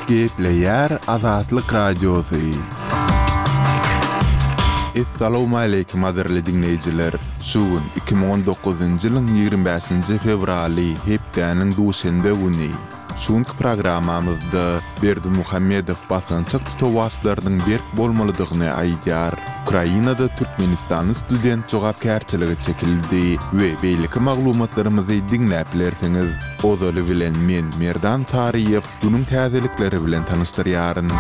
Gepleýär Azatlyk Radiosy. Essalawmaleýkim gadyrly diňleýjiler! Şu gün 2019-njy ýylyň 25-nji fewraly, hepdäniň duşenbe güni. Şu günki programmamyzda Berdimuhamedow basgançak tutawaçlarynyň berk bolmalydygyny aýdýar. Ukrainada türkmenistanly student jogapkärçilige çekildi we beýleki maglumatlarymyzy diňläp bilersiňiz. Ozaly bilen men Merdan Saryýew günüň täzelikleri bilen tanyşdyrýaryn.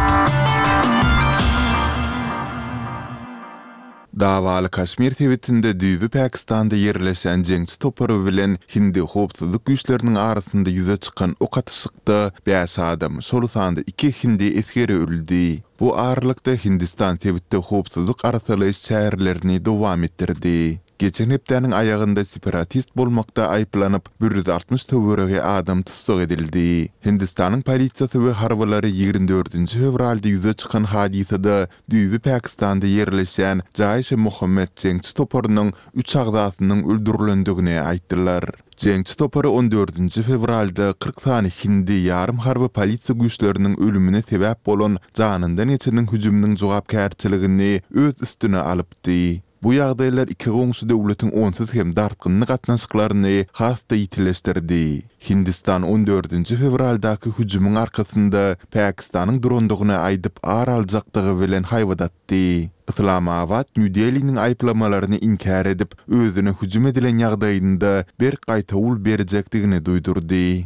Dawaly Kaşmir sebitinde düýbi Pakistanda ýerleşen jeňçi topary bilen hindi howpsuzlyk güýçleriniň arasynda ýüze çykan ok atyşykda bäş adam, şol sanda iki hindi esgeri öldi. Bu aralykda Hindistan sebitde howpsuzlyk arassalaýyş çärelerini dowam etdirdi. Geçen hepdäniň aýagynda separatist bolmakda aýyplanyp, 160 töweregi adam tussag edildi. Hindistanyň polisiýasy we harbylary 24 fewralda ýüze çykan hadysada Düýbi Pakistanda ýerleşýän Jaiş-e-Mohammed jeňçi toparynyň üç agzasynyň öldürilendigini aýtdylar. Jeňçi topary on dördünji fewralda 40 sany hindi ýarym harby polisiýa güýçleriniň ölümine sebäp bolan janyndan geçeniň hüjüminiň jogapkärçiligini öz üstüne alypdy. Bu ýagdaýlar iki goňşy döwletiň onsuz hem dartgynly gatnaşyklaryny has-da ýitileşdirdi. Hindistan on dördünji fewraldaky hüjümiň arkasynda Pakistanyň durandygyny aýdyp ar aljakdygy bilen haýbat atdy. Yslamabat Nýu-Deliniň aýyplamalaryny inkär edip, özüne hüjüm edilen ýagdaýynda berk gaýtawul berjekdigini duýdurdy.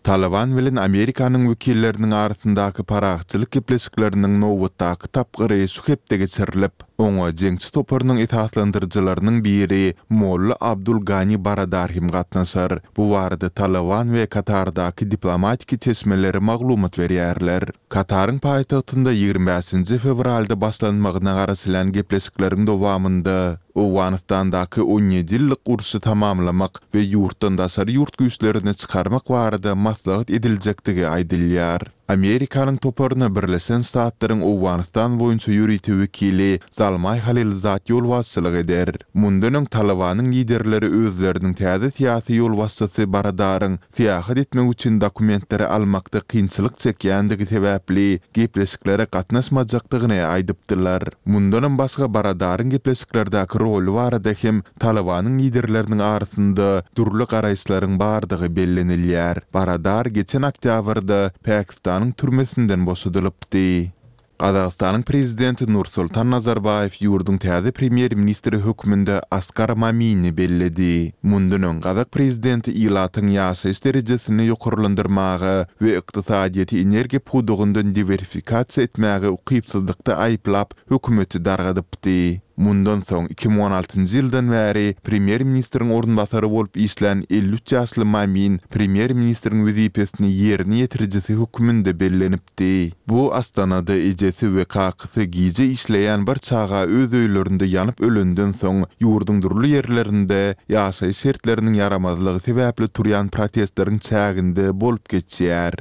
Talyban bilen Amerikanyň wekilleriniň arasyndaky parahatçylyk gepleşikleriniň nobatdaky tapgyry şu hepde geçirilip, oňa jeňçi toparynyň esaslandyryjylarynyň biri Molla Abdul Gani Baradar hem gatnaşar. Bu barada Talyban we Katardaky diplomatiki çeşmeler maglumat berýärler. Kataryň paýtagtynda 25-nji fewralda başlanmagyna garaşylýan gepleşikleriň dowamynda, Owganystandaky 17 ýyllyk urşy tamamlamak we ýurtdan daşary ýurt güýçlerini çykarmak barada maslahat ediljekdigi aýdylýar. Amerikanyň toparyna Birleşen Ştatlaryň Owganystan boýunça ýörite wekili Zalmaý Halilzad ýolbaşçylyk eder. Mundan öň Talybanyň liderleri özleriniň täze syýasy ýolbaşçysy Baradaryň syýahat etmek üçin dokumentleri almakda kynçylyk çekýändigi sebäpli gepleşiklere gatnaşmajakdygyny aýdypdylar. Mundanam başga Baradaryň gepleşiklerdäki roly barada hem Talybanyň liderleriniň arasynda dürli garaýyşlaryň bardygy bellenilýär. Baradar geçen oktýabrda Pakistanyň türmesinden boşadylypdy. Gazagystanyň Prezidenti Nursultan Nazarbaýew ýurduň täze premýer-ministri hökmünde Askar Mamini belledi. Mundan öň gazak prezidenti ilatyň ýaşaýyş derejesini ýokarlandyrmaga we ykdysadyýeti energiýa pudagyndan diwersifikasiýa etmäge ukypsyzlykda aýyplap, hökümeti dargadypdy. Mundan soň 2016-njy ýyldan bäri premýer-ministriň orunbasary bolup işlän 53 ýaşly Mamin premýer-ministriň wezipesini ýerine ýetirijisi hökmünde bellenipdi. Etdi. Bu Astanada ejesi we kakasy gije işleýän bir çaga öz öýlerinde ýanyp ölenden soň, ýurduň dürli ýerlerinde ýaşaýyş şertleriniň ýaramazlygy sebäpli turýan protestleriň çäginde bolup geçýär.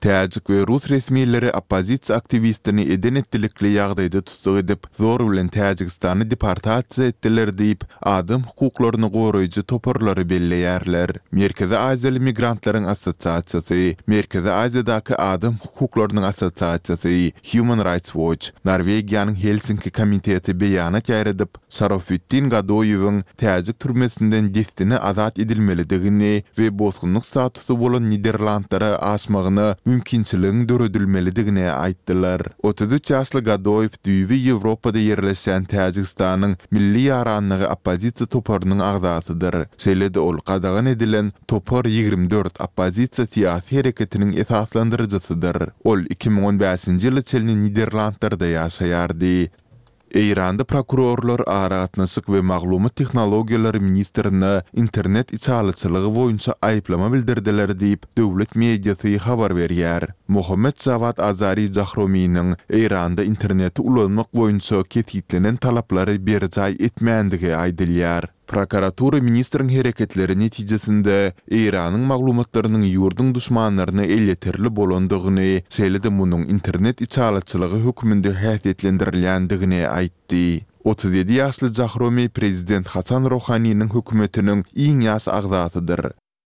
Täjik we rus resmileri oppozisiýa aktiwistini eden-etdilikli ýagdaýda tussag edip, zor bilen Täjigistana deportasiýa etdiler diýip, adam hukuklaryny goraýjy toparlary belleýärler. Merkezi Aziýaly migrantlaryň assosiasiýasy, Merkezi Aziýadaky adam hukuklarynyň assosiasiýasy, Human Rights Watch, Norwegiýanyň Helsinki komiteti beýanat ýaýradyp, Şarofitdin Gadoýewiň täjik türmesinden dessine azat edilmelidigini we bosgunlyk statusy bolan Niderlandlara aşmagyna mümkinçiligiň döredilmelidigini aýtdylar. 33 ýaşly Gadoýew düýbi Ýewropada ýerleşýän Täjigistanyň Milli ýaranlygy oppozisiýa toparynyň agzasydyr. Şeýle-de ol gadagan edilen Topar 24 oppozisiýa syýasy hereketiniň esaslandyryjysydyr. Ol 2015-nji ýyla çenli Niderlandlarda ýaşaýardy. Eýranda prokurorlar aragatnaşyk we maglumat tehnologiýalary ministrine internet içalyçylygy boýunça aýyplama bildirdiler diýip, döwlet mediasy habar berýär. Mohammed Jawad Azari Jahrominiň Eýranda interneti ulanmak boýunça kesgitlenen talaplary berjaý etmändigi aýdylýar. Prokuratura ministriň hereketleri netijesinde Eýranyň maglumatlarynyň ýurduň duşmanlaryna elýeterli bolandygyny, şeýle-de munuň internet içalyçylygy hökmünde häsiýetlendirilýändigini aýtdy. 37 ýaşly Jahromi prezident Hasan Rohaniniň hökümetiniň iň ýaş agzasydyr.